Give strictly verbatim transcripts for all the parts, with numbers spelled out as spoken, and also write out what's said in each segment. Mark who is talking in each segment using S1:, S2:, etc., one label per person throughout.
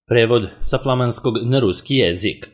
S1: Prevod sa flamanskog na ruski jezik.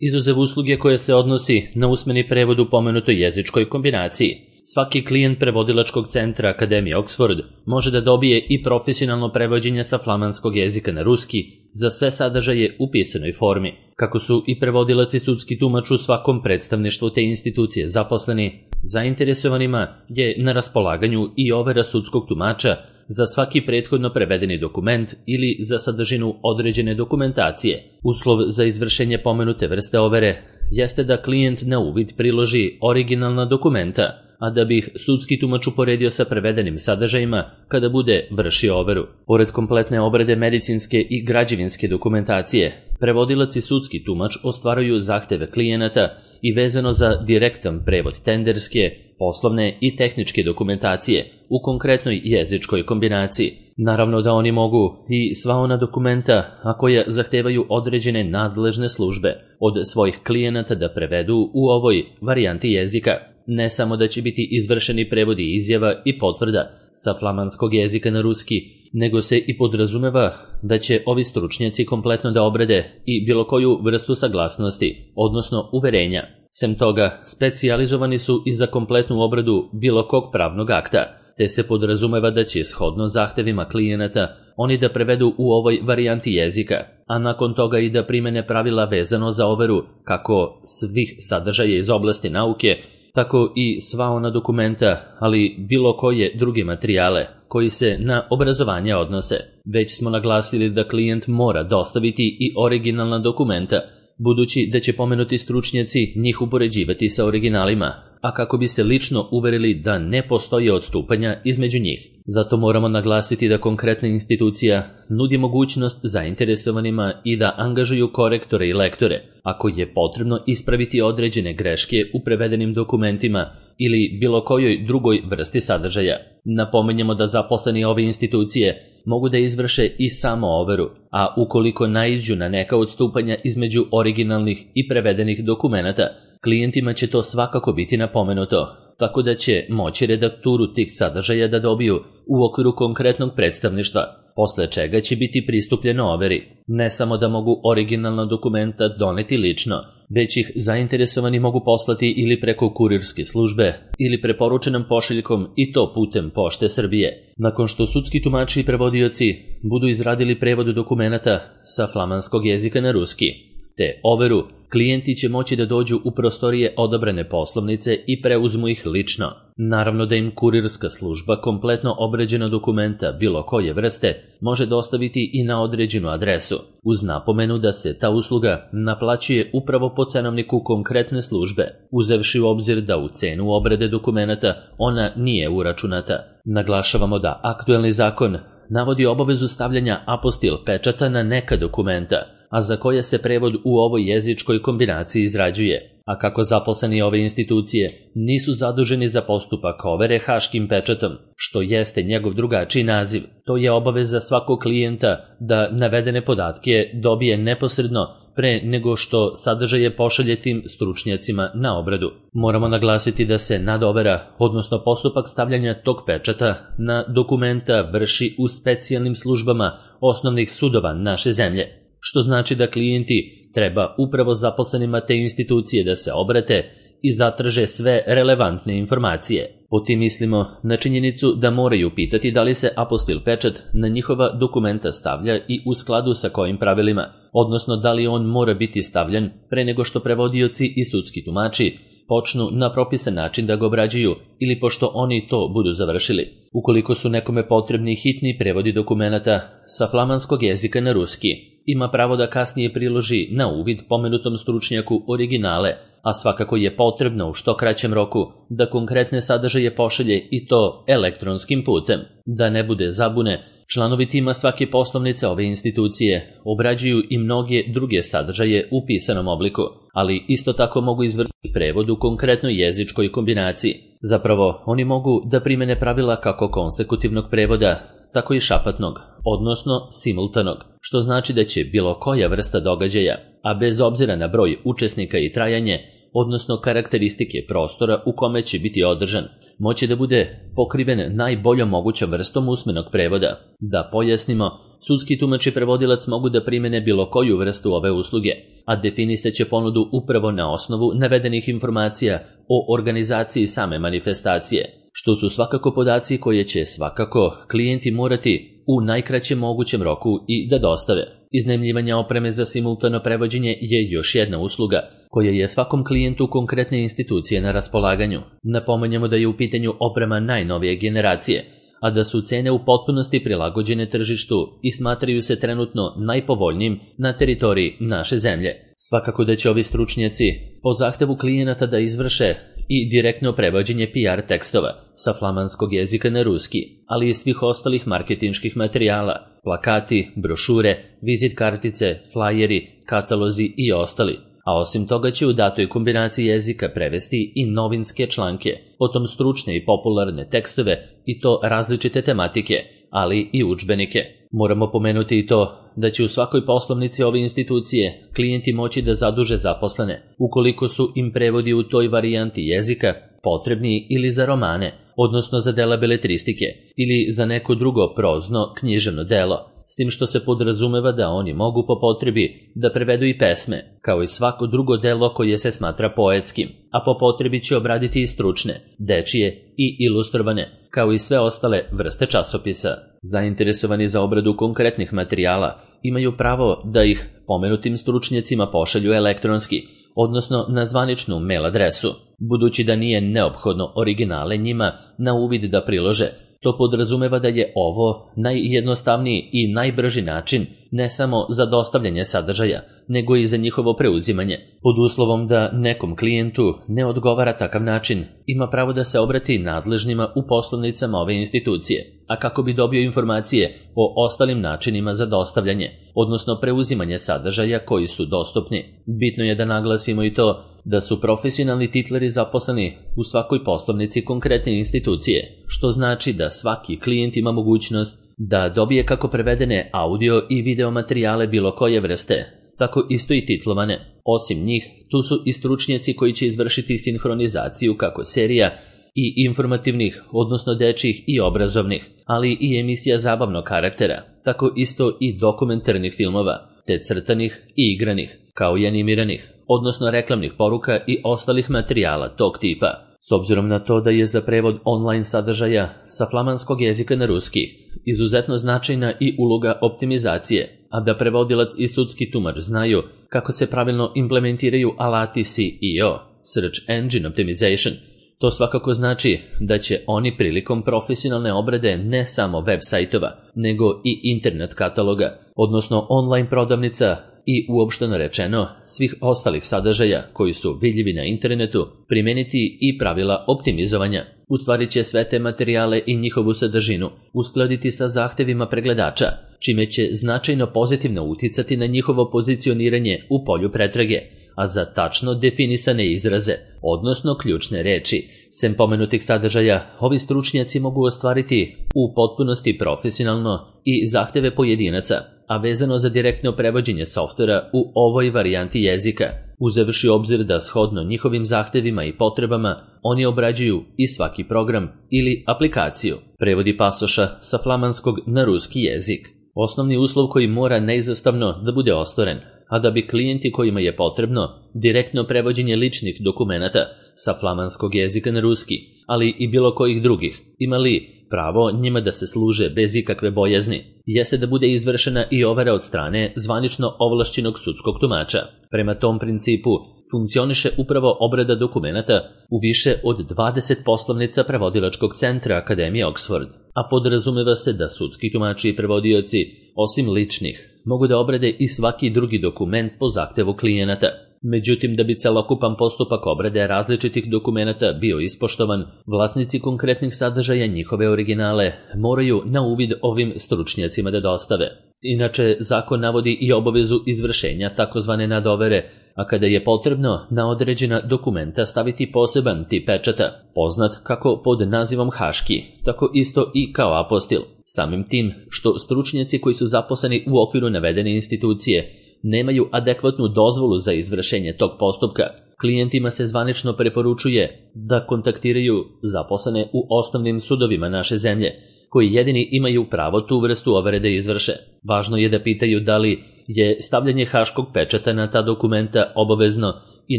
S1: Izuzev usluge koje se odnosi na usmeni prevod u pomenutoj jezičkoj kombinaciji, svaki klijent prevodilačkog centra Akademije Oxford može da dobije i profesionalno prevođenje sa flamanskog jezika na ruski za sve sadržaje u pisanoj formi. Kako su i prevodilac i sudski tumač u svakom predstavništvu te institucije zaposleni, zainteresovanima je na raspolaganju i overa sudskog tumača za svaki prethodno prevedeni dokument ili za sadržinu određene dokumentacije. Uslov za izvršenje pomenute vrste overe jeste da klijent na uvid priloži originalna dokumenta, a da bi ih sudski tumač uporedio sa prevedenim sadržajima kada bude vršio overu. Pored kompletne obrade medicinske i građevinske dokumentacije, prevodilac i sudski tumač ostvaruju zahteve klijenata i vezano za direktan prevod tenderske, poslovne i tehničke dokumentacije u konkretnoj jezičkoj kombinaciji. Naravno da oni mogu i sva ona dokumenta, a koja zahtevaju određene nadležne službe, od svojih klijenata da prevedu u ovoj varijanti jezika. Ne samo da će biti izvršeni prevodi izjava i potvrda sa flamanskog jezika na ruski, nego se i podrazumeva da će ovi stručnjaci kompletno da obrade i bilo koju vrstu saglasnosti, odnosno uverenja. Sem toga, specijalizovani su i za kompletnu obradu bilo kog pravnog akta, te se podrazumeva da će shodno zahtevima klijenata oni da prevedu u ovoj varijanti jezika, a nakon toga i da primene pravila vezano za overu kako svih sadržaja iz oblasti nauke, tako i sva ona dokumenta, ali bilo koje druge materijale koji se na obrazovanje odnose. Već smo naglasili da klijent mora dostaviti i originalna dokumenta, budući da će pomenuti stručnjaci njih upoređivati sa originalima, a kako bi se lično uverili da ne postoji odstupanja između njih. Zato moramo naglasiti da konkretna institucija nudi mogućnost zainteresovanima i da angažuju korektore i lektore, ako je potrebno ispraviti određene greške u prevedenim dokumentima ili bilo kojoj drugoj vrsti sadržaja. Napominjemo da zaposleni ove institucije mogu da izvrše i samo overu, a ukoliko naiđu na neka odstupanja između originalnih i prevedenih dokumenata, klijentima će to svakako biti napomenuto, tako da će moći redakturu tih sadržaja da dobiju u okviru konkretnog predstavništva, posle čega će biti pristupljeno overi. Ne samo da mogu originalna dokumenta doneti lično, već ih zainteresovani mogu poslati ili preko kurirske službe ili preporučenom pošiljkom i to putem Pošte Srbije. Nakon što sudski tumači i prevodioci budu izradili prevod dokumenata sa flamanskog jezika na ruski, te overu, klijenti će moći da dođu u prostorije odabrane poslovnice i preuzmu ih lično. Naravno da im kurirska služba kompletno obrađena dokumenta bilo koje vrste može dostaviti i na određenu adresu, uz napomenu da se ta usluga naplaćuje upravo po cenovniku konkretne službe, uzevši u obzir da u cenu obrade dokumenata ona nije uračunata. Naglašavamo da aktuelni zakon navodi obavezu stavljanja apostil pečata na neka dokumenta, a za koje se prevod u ovoj jezičkoj kombinaciji izrađuje, a kako zaposleni ove institucije nisu zaduženi za postupak overe haškim pečatom, što jeste njegov drugačiji naziv, to je obaveza svakog klijenta da navedene podatke dobije neposredno pre nego što sadržaje pošalje tim stručnjacima na obradu. Moramo naglasiti da se nadovera, odnosno postupak stavljanja tog pečata na dokumenta vrši u specijalnim službama osnovnih sudova naše zemlje, što znači da klijenti treba upravo zaposlenima te institucije da se obrate i zatraže sve relevantne informacije. Po tim mislimo na činjenicu da moraju pitati da li se apostil pečat na njihova dokumenta stavlja i u skladu sa kojim pravilima, odnosno da li on mora biti stavljan pre nego što prevodioci i sudski tumači počnu na propisan način da ga obrađuju ili pošto oni to budu završili. Ukoliko su nekome potrebni hitni prevodi dokumenata sa flamanskog jezika na ruski, ima pravo da kasnije priloži na uvid pomenutom stručnjaku originale, a svakako je potrebno u što kraćem roku da konkretne sadržaje pošalje i to elektronskim putem. Da ne bude zabune, članovi tima svake poslovnice ove institucije obrađuju i mnoge druge sadržaje u pisanom obliku, ali isto tako mogu izvršiti prevod u konkretnoj jezičkoj kombinaciji. Zapravo, oni mogu da primene pravila kako konsekutivnog prevoda, tako i šapatnog, odnosno simultanog, što znači da će bilo koja vrsta događaja, a bez obzira na broj učesnika i trajanje, odnosno karakteristike prostora u kome će biti održan, moći da bude pokriven najboljom mogućom vrstom usmenog prevoda. Da pojasnimo, sudski tumač i prevodilac mogu da primene bilo koju vrstu ove usluge, a definisat će ponudu upravo na osnovu navedenih informacija o organizaciji same manifestacije, što su svakako podaci koje će svakako klijenti morati u najkraćem mogućem roku i da dostave. Iznajmljivanje opreme za simultano prevođenje je još jedna usluga koja je svakom klijentu konkretne institucije na raspolaganju. Napominjemo da je u pitanju oprema najnovije generacije, a da su cene u potpunosti prilagođene tržištu i smatraju se trenutno najpovoljnijim na teritoriji naše zemlje. Svakako da će ovi stručnjaci po zahtevu klijenata da izvrše i direktno prevođenje P R tekstova sa flamanskog jezika na ruski, ali i svih ostalih marketinških materijala, plakati, brošure, vizit kartice, flajeri, katalozi i ostali. A osim toga će u datoj kombinaciji jezika prevesti i novinske članke, potom stručne i popularne tekstove i to različite tematike, ali i udžbenike. Moramo pomenuti i to da će u svakoj poslovnici ove institucije klijenti moći da zaduže zaposlene, ukoliko su im prevodi u toj varijanti jezika potrebni ili za romane, odnosno za dela beletristike, ili za neko drugo prozno književno delo, s tim što se podrazumeva da oni mogu po potrebi da prevedu i pesme, kao i svako drugo delo koje se smatra poetskim, a po potrebi će obraditi i stručne, dečije i ilustrovane, kao i sve ostale vrste časopisa. Zainteresovani za obradu konkretnih materijala imaju pravo da ih pomenutim stručnjacima pošalju elektronski, odnosno na zvaničnu mail adresu, budući da nije neophodno originale njima na uvid da prilože. To podrazumeva da je ovo najjednostavniji i najbrži način ne samo za dostavljanje sadržaja, nego i za njihovo preuzimanje. Pod uslovom da nekom klijentu ne odgovara takav način, ima pravo da se obrati nadležnima u poslovnicama ove institucije, a kako bi dobio informacije o ostalim načinima za dostavljanje, odnosno preuzimanje sadržaja koji su dostupni. Bitno je da naglasimo i to da su profesionalni titleri zaposleni u svakoj poslovnici konkretne institucije, što znači da svaki klijent ima mogućnost da dobije kako prevedene audio i video materijale bilo koje vrste, tako isto i titlovane. Osim njih, tu su i stručnjaci koji će izvršiti sinhronizaciju kako serija i informativnih, odnosno dečjih i obrazovnih, ali i emisija zabavnog karaktera, tako isto i dokumentarnih filmova, te crtanih i igranih, kao i animiranih, odnosno reklamnih poruka i ostalih materijala tog tipa. S obzirom na to da je za prevod online sadržaja sa flamanskog jezika na ruski izuzetno značajna i uloga optimizacije, a da prevodilac i sudski tumač znaju kako se pravilno implementiraju alati S E O, Search Engine Optimization, to svakako znači da će oni prilikom profesionalne obrade ne samo web sajtova, nego i internet kataloga, odnosno online prodavnica i uopšteno rečeno svih ostalih sadržaja koji su vidljivi na internetu, primeniti i pravila optimizovanja. U stvari će sve te materijale i njihovu sadržinu uskladiti sa zahtevima pregledača, čime će značajno pozitivno uticati na njihovo pozicioniranje u polju pretrage, a za tačno definisane izraze, odnosno ključne reči, sem pomenutih sadržaja, ovi stručnjaci mogu ostvariti u potpunosti profesionalno i zahteve pojedinaca, a vezano za direktno prevođenje softvera u ovoj varijanti jezika, uzevši obzir da shodno njihovim zahtevima i potrebama oni obrađuju i svaki program ili aplikaciju. Prevodi pasoša sa flamanskog na ruski jezik. Osnovni uslov koji mora neizostavno da bude ostvaren, a da bi klijenti kojima je potrebno direktno prevođenje ličnih dokumenata sa flamanskog jezika na ruski, ali i bilo kojih drugih, imali pravo njima da se služe bez ikakve bojazni, jeste da bude izvršena i overa od strane zvanično ovlašćenog sudskog tumača. Prema tom principu funkcioniše upravo obrada dokumenata u više od dvadeset poslovnica prevodilačkog centra Akademije Oxford, a podrazumeva se da sudski tumači i prevodioci, osim ličnih, mogu da obrade i svaki drugi dokument po zahtevu klijenata. Međutim, da bi celokupan postupak obrade različitih dokumenata bio ispoštovan, vlasnici konkretnih sadržaja njihove originale moraju na uvid ovim stručnjacima da dostave. Inače, zakon navodi i obavezu izvršenja takozvane nadovere, a kada je potrebno na određena dokumenta staviti poseban tip pečata, poznat kako pod nazivom haški, tako isto i kao apostil. Samim tim što stručnjaci koji su zaposleni u okviru navedene institucije nemaju adekvatnu dozvolu za izvršenje tog postupka, Klijentima se zvanično preporučuje da kontaktiraju zaposlene u osnovnim sudovima naše zemlje, koji jedini imaju pravo tu vrstu overe da izvrše. Važno je da pitaju da li je stavljanje haškog pečata na ta dokumenta obavezno i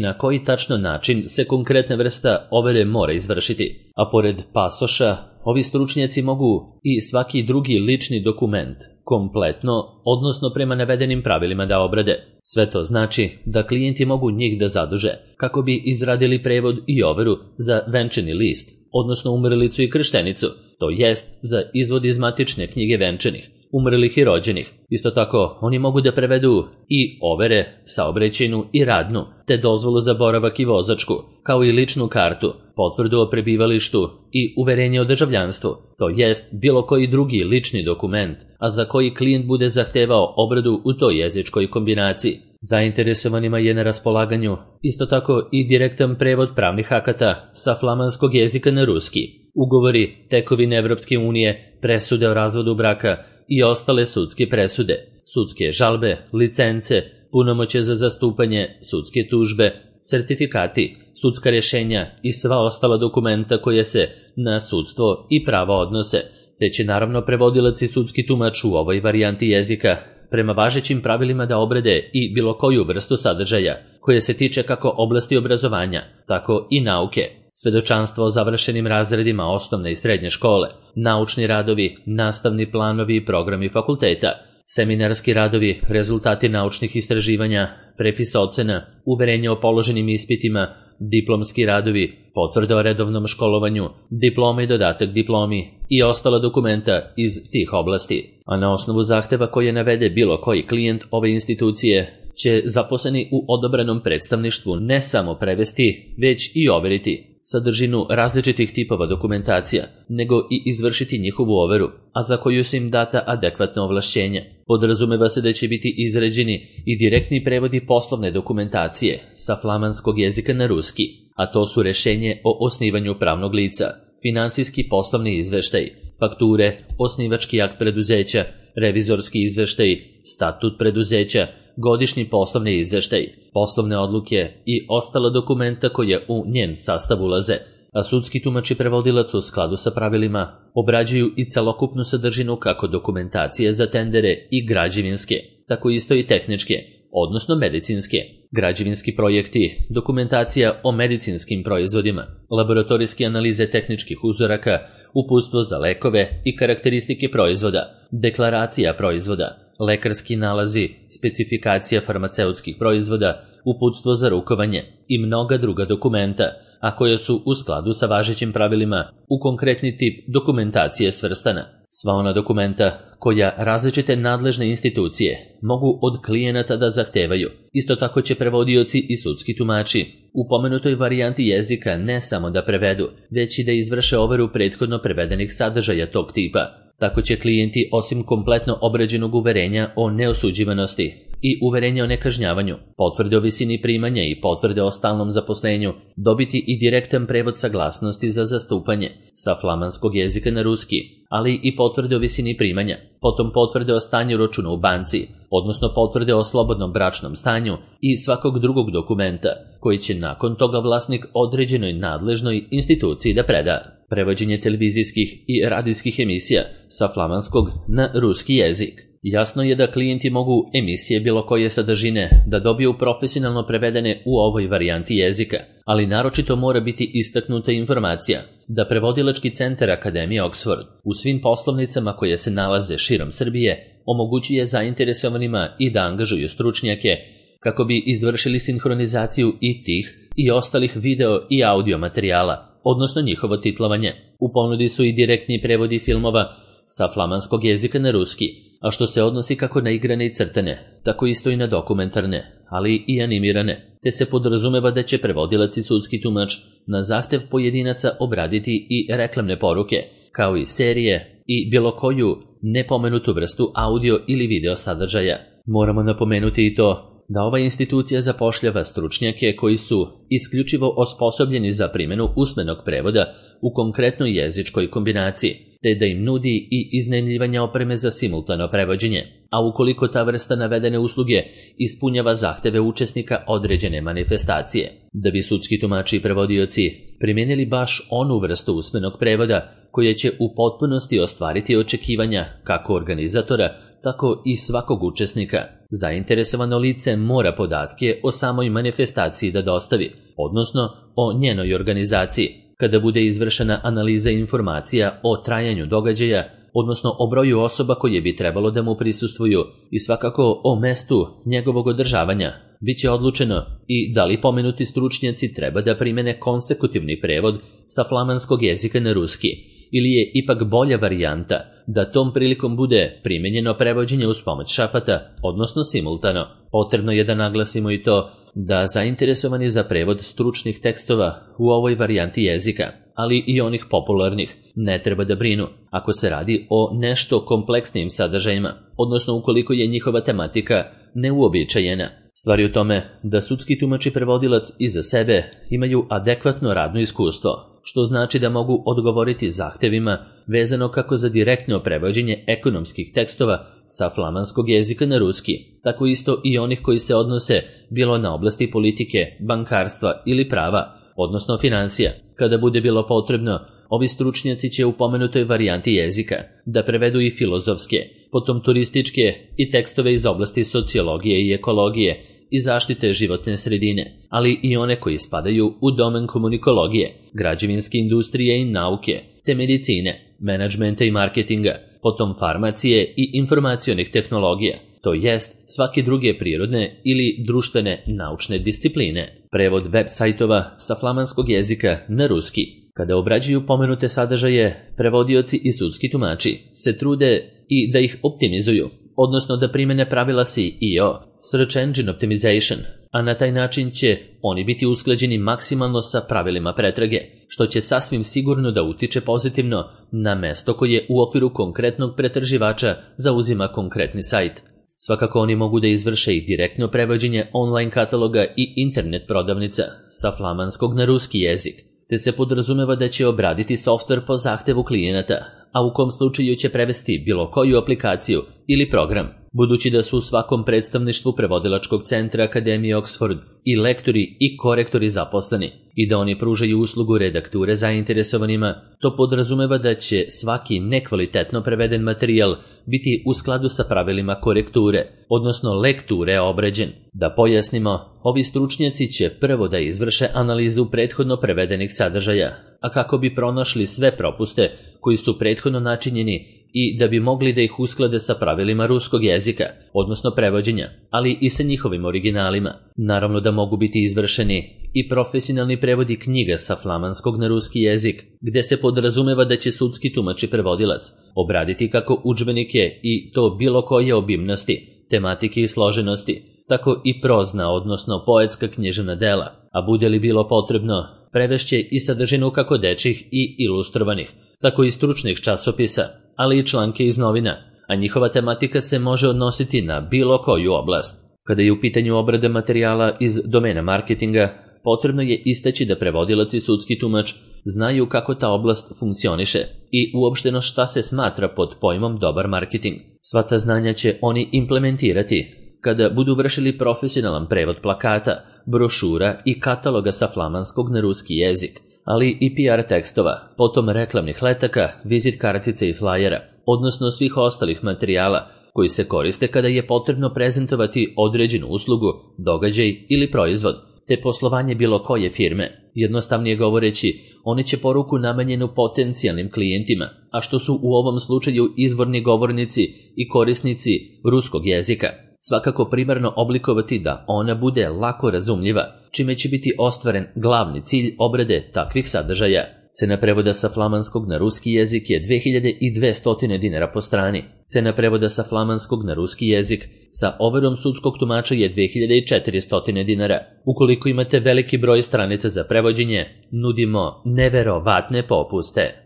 S1: na koji tačno način se konkretna vrsta overe mora izvršiti. A pored pasoša, ovi stručnjaci mogu i svaki drugi lični dokument kompletno, odnosno prema navedenim pravilima da obrade. Sve to znači da klijenti mogu njih da zaduže kako bi izradili prevod i overu za venčani list, odnosno umrlicu i krštenicu, to jest za izvod iz matične knjige venčanih, umrlih i rođenih. Isto tako, oni mogu da prevedu i overe, saobraćajnu i radnu, te dozvolu za boravak i vozačku, kao i ličnu kartu, potvrdu o prebivalištu i uverenje o državljanstvu, to jest bilo koji drugi lični dokument, a za koji klijent bude zahtevao obradu u toj jezičkoj kombinaciji. Zainteresovanima je na raspolaganju isto tako i direktan prevod pravnih akata sa flamanskog jezika na ruski, ugovori, tekovine Evropske unije, presude o razvodu braka i ostale sudske presude, sudske žalbe, licence, punomoćje za zastupanje, sudske tužbe, sertifikati, sudska rješenja i sva ostala dokumenta koje se na sudstvo i pravo odnose, te će naravno prevodilac i sudski tumač u ovoj varijanti jezika prema važećim pravilima da obrade i bilo koju vrstu sadržaja, koje se tiče kako oblasti obrazovanja, tako i nauke, svedočanstvo o završenim razredima osnovne i srednje škole, naučni radovi, nastavni planovi i programi fakulteta, seminarski radovi, rezultati naučnih istraživanja, prepis ocena, uverenje o položenim ispitima, diplomski radovi, potvrde o redovnom školovanju, diploma i dodatak diplomi i ostala dokumenta iz tih oblasti. A na osnovu zahteva koje navede bilo koji klijent ove institucije će zaposleni u odobrenom predstavništvu ne samo prevesti, već i overiti sadržinu različitih tipova dokumentacija, nego i izvršiti njihovu overu, a za koju su im data adekvatna ovlašćenja. Podrazumeva se da će biti izrađeni i direktni prevodi poslovne dokumentacije sa flamanskog jezika na ruski, a to su rešenje o osnivanju pravnog lica, finansijski poslovni izveštaj, fakture, osnivački akt preduzeća, revizorski izveštaj, statut preduzeća, godišnji poslovni izveštaj, poslovne odluke i ostala dokumenta koje u njen sastav ulaze, a sudski tumač i prevodilac u skladu sa pravilima obrađuju i celokupnu sadržinu kako dokumentacije za tendere i građevinske, tako isto i tehničke, odnosno medicinske, građevinski projekti, dokumentacija o medicinskim proizvodima, laboratorijske analize tehničkih uzoraka, uputstvo za lekove i karakteristike proizvoda, deklaracija proizvoda, lekarski nalazi, specifikacija farmaceutskih proizvoda, uputstvo za rukovanje i mnoga druga dokumenta, a koje su u skladu sa važećim pravilima u konkretni tip dokumentacije svrstana. Sva ona dokumenta koja različite nadležne institucije mogu od klijenata da zahtevaju. Isto tako će prevodioci i sudski tumači u pomenutoj varijanti jezika ne samo da prevedu, već i da izvrše overu prethodno prevedenih sadržaja tog tipa. Tako će klijenti osim kompletno obrađenog uverenja o neosuđivanosti i uverenja o nekažnjavanju, potvrde o visini primanja i potvrde o stalnom zaposlenju dobiti i direktan prevod saglasnosti za zastupanje sa flamanskog jezika na ruski, ali i potvrde o visini primanja, potom potvrde o stanju računa u banci, odnosno potvrde o slobodnom bračnom stanju i svakog drugog dokumenta koji će nakon toga vlasnik određenoj nadležnoj instituciji da preda. Prevođenje televizijskih i radijskih emisija sa flamanskog na ruski jezik. Jasno je da klijenti mogu emisije bilo koje sadržine da dobiju profesionalno prevedene u ovoj varijanti jezika, ali naročito mora biti istaknuta informacija da prevodilački centar Akademije Oxford u svim poslovnicama koje se nalaze širom Srbije omogućuje zainteresovanima i da angažuju stručnjake kako bi izvršili sinhronizaciju i tih i ostalih video i audio materijala, odnosno njihovo titlovanje. U ponudi su i direktni prevodi filmova sa flamanskog jezika na ruski, a što se odnosi kako na igrane i crtane, tako isto i na dokumentarne, ali i animirane, te se podrazumeva da će prevodilac i sudski tumač na zahtev pojedinaca obraditi i reklamne poruke, kao i serije i bilo koju nepomenutu vrstu audio ili video sadržaja. Moramo napomenuti i to da ova institucija zapošljava stručnjake koji su isključivo osposobljeni za primjenu usmenog prevoda u konkretnoj jezičkoj kombinaciji, te da im nudi i iznajmljivanje opreme za simultano prevođenje. a ukoliko ta vrsta navedene usluge ispunjava zahteve učesnika određene manifestacije. Da bi sudski tumači i prevodioci primijenili baš onu vrstu usmenog prevoda koja će u potpunosti ostvariti očekivanja kako organizatora, tako i svakog učesnika, zainteresovano lice mora podatke o samoj manifestaciji da dostavi, odnosno o njenoj organizaciji, kada bude izvršena analiza informacija o trajanju događaja, odnosno o broju osoba koje bi trebalo da mu prisustvuju i svakako o mestu njegovog održavanja. Biće odlučeno i da li pomenuti stručnjaci treba da primene konsekutivni prevod sa flamanskog jezika na ruski, ili je ipak bolja varijanta da tom prilikom bude primenjeno prevođenje uz pomoć šapata, odnosno simultano. Potrebno je da naglasimo i to da zainteresovani za prevod stručnih tekstova u ovoj varijanti jezika, ali i onih popularnih, ne treba da brinu ako se radi o nešto kompleksnijim sadržajima, odnosno ukoliko je njihova tematika neuobičajena. Stvar je u tome da sudski tumač i prevodilac iza sebe imaju adekvatno radno iskustvo, što znači da mogu odgovoriti zahtevima vezano kako za direktno prevođenje ekonomskih tekstova sa flamanskog jezika na ruski, tako isto i onih koji se odnose bilo na oblasti politike, bankarstva ili prava, odnosno financija. Kada bude bilo potrebno, ovi stručnjaci će u pomenutoj varijanti jezika da prevedu i filozofske, potom turističke i tekstove iz oblasti sociologije i ekologije i zaštite životne sredine, ali i one koji spadaju u domen komunikologije, građevinske industrije i nauke, te medicine, menadžmenta i marketinga, potom farmacije i informacionih tehnologija, to jest svake druge prirodne ili društvene naučne discipline. Prevod web sajtova sa flamanskog jezika na ruski. Kada obrađuju pomenute sadržaje, prevodioci i sudski tumači se trude i da ih optimizuju, odnosno da primene pravila S E O, Search Engine Optimization, a na taj način će oni biti usklađeni maksimalno sa pravilima pretrage, što će sasvim sigurno da utiče pozitivno na mesto koje u okviru konkretnog pretraživača zauzima konkretni sajt. Svakako oni mogu da izvrše i direktno prevođenje online kataloga i internet prodavnica sa flamanskog na ruski jezik, te se podrazumeva da će obraditi softver po zahtevu klijenata, a u kom slučaju će prevesti bilo koju aplikaciju ili program. Budući da su u svakom predstavništvu prevodilačkog centra Akademije Oxford i lektori i korektori zaposleni i da oni pružaju uslugu redakture zainteresovanima, to podrazumeva da će svaki nekvalitetno preveden materijal biti u skladu sa pravilima korekture, odnosno lekture obrađen. Da pojasnimo, ovi stručnjaci će prvo da izvrše analizu prethodno prevedenih sadržaja, a kako bi pronašli sve propuste koji su prethodno načinjeni i da bi mogli da ih usklade sa pravilima ruskog jezika, odnosno prevođenja, ali i sa njihovim originalima. Naravno da mogu biti izvršeni i profesionalni prevodi knjiga sa flamanskog na ruski jezik, gde se podrazumeva da će sudski tumač i prevodilac obraditi kako udžbenike i to bilo koje obimnosti, tematike i složenosti, tako i prozna, odnosno poetska književna dela, a bude li bilo potrebno, prevešće i sadržinu kako dečjih i ilustrovanih, tako i stručnih časopisa, ali i članke iz novina, a njihova tematika se može odnositi na bilo koju oblast. Kada je u pitanju obrade materijala iz domena marketinga, potrebno je istaći da prevodilac i sudski tumač znaju kako ta oblast funkcioniše i uopšteno šta se smatra pod pojmom dobar marketing. Sva ta znanja će oni implementirati kada budu vršili profesionalan prevod plakata, brošura i kataloga sa flamanskog na ruski jezik, ali i P R tekstova, potom reklamnih letaka, vizit kartica i flajera, odnosno svih ostalih materijala koji se koriste kada je potrebno prezentovati određenu uslugu, događaj ili proizvod, te poslovanje bilo koje firme. Jednostavnije govoreći, oni će poruku namenjenu potencijalnim klijentima, a što su u ovom slučaju izvorni govornici i korisnici ruskog jezika, svakako primarno oblikovati da ona bude lako razumljiva, čime će biti ostvaren glavni cilj obrade takvih sadržaja. Cena prevoda sa flamanskog na ruski jezik je dve hiljade dvesta dinara po strani. Cena prevoda sa flamanskog na ruski jezik sa overom sudskog tumača je dve hiljade četiristo dinara. Ukoliko imate veliki broj stranica za prevođenje, nudimo neverovatne popuste.